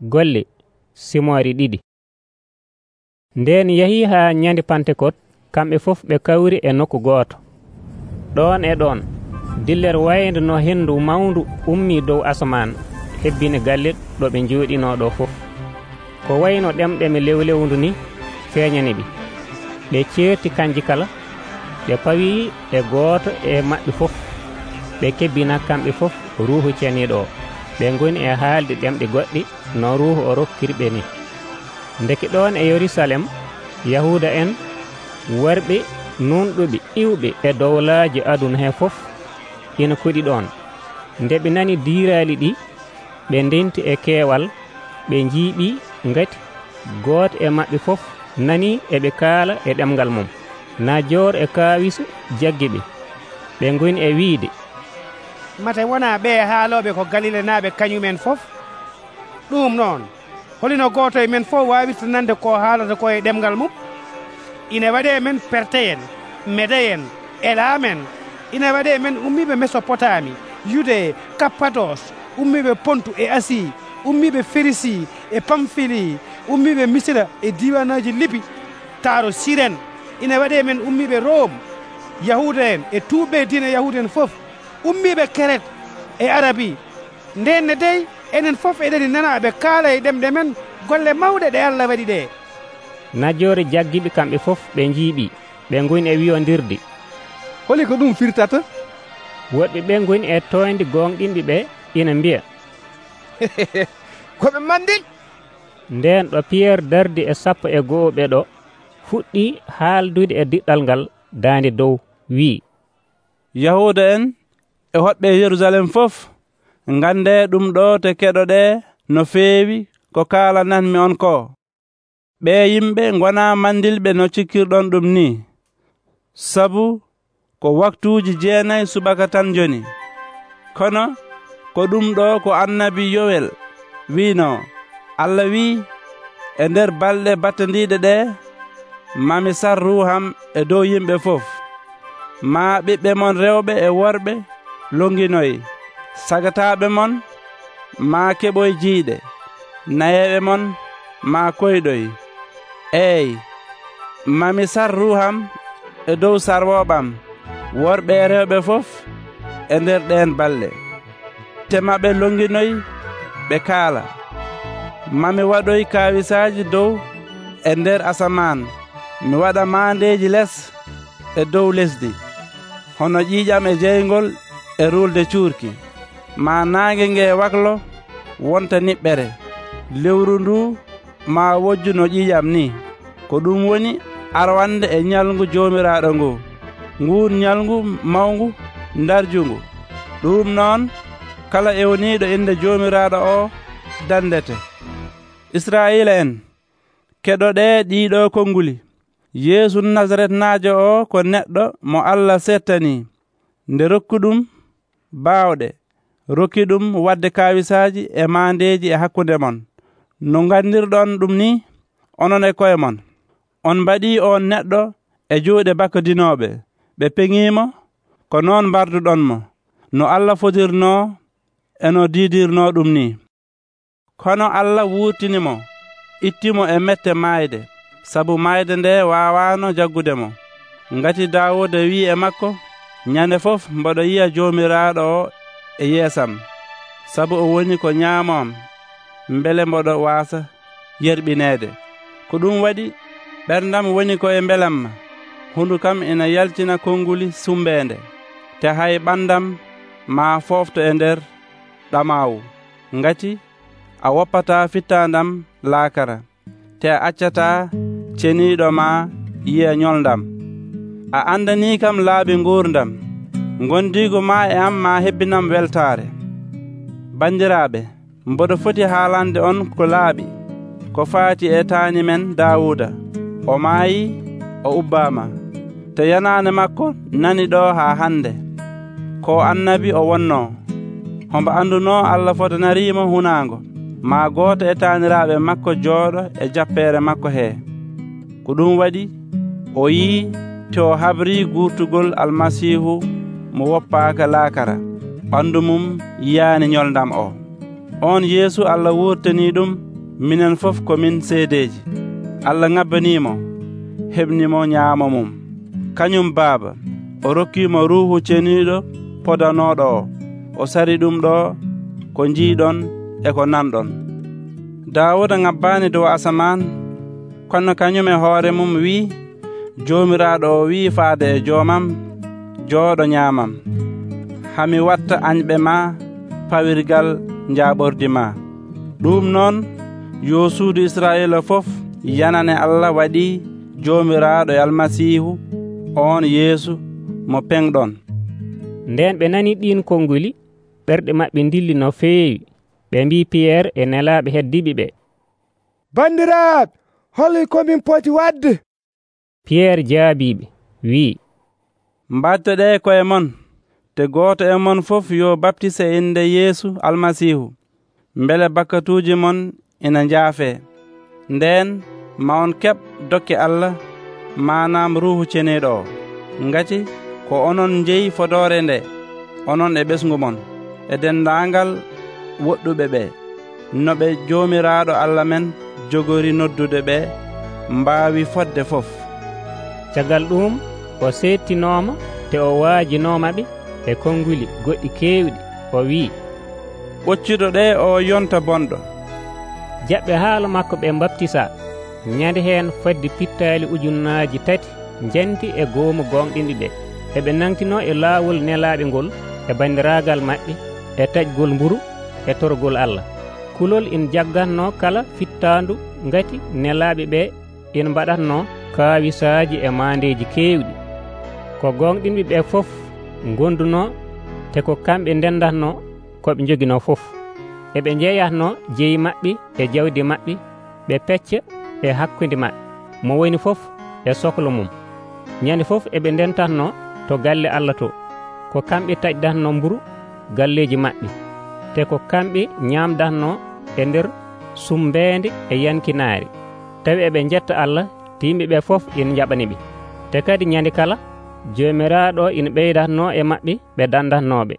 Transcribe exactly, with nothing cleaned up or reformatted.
Golle simoori ɗiɗi. Nden yahii haa nyande Pantekot, kamɓe fof ɓe kawri e nokku gooto. Ɗon e ɗon dillere wayde no hendu mawndu ummii dow asaman hebbini galle ɗo ɓe njooɗinoo ɗo fof. Ko wayno ɗemɗeme lewlewndu ni feeñani ɓe. Ɓe ceerti kanji kala, ɓe pawii e gooto e maɓɓe fof. Ɓe kebbina kamɓe fof Ruuhu Ceniiɗo o. Ɓe ngoni e haalde ɗemɗe goɗɗe no Ruuhu o rokkiri ɓe ni. Ndeke ɗon e Yerusalem, Yahuuda en worɓe nunɗuɓe iwɓe e dowlaaji aduna he fof ina koɗi ɗon. Nde ɓe nani diiraali ɗi, ɓe ndenti e keewal, ɓe njiiɓii ngati gooto e maɓɓe fof nanii eɓe kaala e ɗemngal mum. Najoor e Kaawisu jaggi ɓe. Ɓe ngoni e wiide, mate wonaa ɓe haalooɓe ko Galile naaɓe kañumen fof? Ɗum noon holino gooto e men fof waawirta nande ko haalata ko e ɗemngal mum? Ina waɗee men Perteyen, Medeyen, Elaamen, ina waɗee men ummiiɓe Mesopotami, Yude, Kappados, ummiiɓe Pontu e Asi, ummiiɓe Ferisi e Pamfili, ummiiɓe Misira e diiwanaaji Libi, taaro Siren, ina waɗee men ummiiɓe Rome, Yahuuda en e tuuɓɓe diina Yahuuda en fof, ummiiɓe Keret e Arabi. Ndenne dey enen fof eɗeni nana ɓe kaala e ɗemɗe men golle mawɗe ɗe Allah waɗi ɗe. Najoore jaggiɓe kamɓe fof ɓe njiiɓi, ɓe ngoni e wiyondirde, holi ko ɗum firtata? Woɗɓe ɓe ngoni e toynde gonɗinɓe ɓe ina mbiya, koɓe mandil. Nden ɗo Piyerre dardi e sappo e go'o ɓe ɗo fuɗɗi haaldude e diɗɗal ngal daande dow, wii, Yahuuda en e hoɗɓe Yerusalem fof, ngande ɗum ɗo te keɗoɗe no feewi ko kaalananmi on ko. Ɓe yimɓe ngona mandilɓe no cikkirɗon ɗum ni, sabu ko waktuuji jeenayi subaka tan joni. Kono ko ɗum ɗo ko annabi Yowel wiino, Allah wii, e nder balɗe battandiɗe ɗe mami sar ruuham e dow yimɓe fof. Maa ɓiɓɓe mon rewɓe e worɓe longinoy, sagataaɓe mon maa keɓoy jiiɗe, nayeeɓe mon maa koyɗoy. Eey, mami sar ruuham e dow sarwooɓam, worɓe e rewɓe fof e nder ɗeen balɗe. Tema ɓe longinoy ɓe kaala. Mami waɗoy kaawisaaji dow e nder asamaan, mi waɗa maandeeji les e dow lesdi, hono ƴiiƴam e jeyngol e ruulde cuurki. Maa naange nge waklo wonta niɓɓere, lewru ndu maa wojju no ƴiiƴam ni. Ko ɗum woni arwande e ñalngu Joomiraaɗo ngu, nguun ñalngu mawngu darjungu. Ɗum noon kala ewniiɗo inde Joomiraaɗo o dandete. Israa'iila en, keɗoɗe ɗiiɗo konnguli. Yeesu Nasaretnaajo o ko neɗɗo mo Allah settanii, nde rokkuɗum baawɗe, rokki ɗum waɗde kaawisaaji e maandeeji e hakkunde mon. No ngandirɗon ɗum ni onon e koye mon. On mbaɗii on neɗɗo e juuɗe bakkodinooɓe, ɓe peŋiimo, ko noon mbarduɗonmo, no Allah fotirnoo e no diidirnoo ɗum ni. Kono Allah wuurtinimo, ittimo e mette maayde, sabu maayde nde waawaano jaggude mo. Ngati Daawuda wi'i e makko, ñande fof mboɗo yi'a Joomiraaɗo o e yeesam, sabu o woni ko ñaamoam, mbele mboɗo waasa yerɓineede. Ko ɗum waɗi ɓerdam woni ko e mbelamma, hundu kam ina yaltina konnguli sumbeende, te hay ɓandam maa foofto e nder ɗamaawu. Ngati a woppataa fittaandam laakara, te a accataa ceniiɗo maa yiya ñolndam. A andanii kam laabi nguurdam, gondiigu maa e am maa hebbinam weltaare. Banndiraaɓe, mboɗo foti haalande on ko laaɓi, ko faati e taani men Daawuda. O maayii, o ubbaama, te yanaane makko nani ɗo haa hannde. Ko annabi o wonnoo, hombo andunoo Allah fotanariimo hunaango, maa gooto e taaniraaɓe makko jooɗo e jappeere makko hee. Ko ɗum waɗi o yii te o habrii guurtugol Almasiihu mo woppaaka laakara, ɓanndu mum yiyaani ñolndam o. On Yeesu Allah wurtanii ɗum minen fof ko min seedeji. Allah ŋabbanimo heɓnimo ñaamo mum. Kañum Baaba o rokkimo Ruuhu Ceniiɗo podanoɗo o. O sari ɗum ɗo ko jiiɗon e ko nanɗon. Daawuda ŋabbaani dow asaman, kono kañum e hoore mum wi'i, Joomiraaɗo o wi'i faade e joomam, jooɗo ñaamam, hami watta añɓe ma pawirgal njaaɓordi ma. Ɗum noon yo suudu Israa'iila fof yanane Allah waɗi Joomiraaɗo e Almasiihu, on Yeesu mo penɗon. Nden ɓe nani ɗin konnguli, ɓerɗe maɓɓe dilli no feewi. Ɓe mbi Piyerre e nelaaɓe heddiɓe ɓe, Bandiraaɓe, holi komin poti wadde? Piyerre jaabiɓe wi'i, mbattoɗe koye mon, te gooto e mon fof yo baptise e inde Yeesu Almasiihu, mbele bakkatuuji mon ina njaafee. Nden ma on keɓ dokke Allah, manam Ruuhu Ceniiɗo o, ngati ko onon jeyi fodore nde, onon e ɓesgu mon, e dendaangal woɗɗuɓe ɓe, no ɓe Joomiraaɗo Allah men jogori noddude ɓe mbaawi fodde fof. Caggal ɗum o seettinooma te o waajinomaɓe e konnguli goɗɗi keewɗi. O wi'i, ɓocciɗo ɗe o yonta bonɗo. jaɓɓe haala makko ɓe baptisa. Ñande heen fadde pittaali ujunnaaji tati njanti e goomu gonɗinɗi ɓe. eɓe nangtino e laawol nelaaɓe ngol e banndiraagal maɓɓe e taƴgol mburu e torgol Allah. Kulol ina jaggatno kala fittaandu, ngati nelaaɓe ɓe ina mbaɗatno kaawisaaji e maandeeji keewɗi. Ko gonɗinɓe ɓe fof gonduno te ko kamɓe ndendatno koɓe jogino fof. eɓe jeeyatno jeyi maɓɓe e jawdi maɓɓe, ɓe pecca e hakkunde maɓɓe, mo woni fof e sohla mum. ñande fof eɓe ndentatno to galle Allah to. Ko kamɓe taƴdatno mburu galleji maɓɓe, te ko kamɓe ñamdatno e nder sumbeende e yankinaari. Tawi eɓe jetta Allah, te yimɓeɓe fof ina jaɓaniɓe. Te kadi ñande kala Joomiraaɗo ina ɓeydatno e maɓɓe ɓe dandatnoɓe.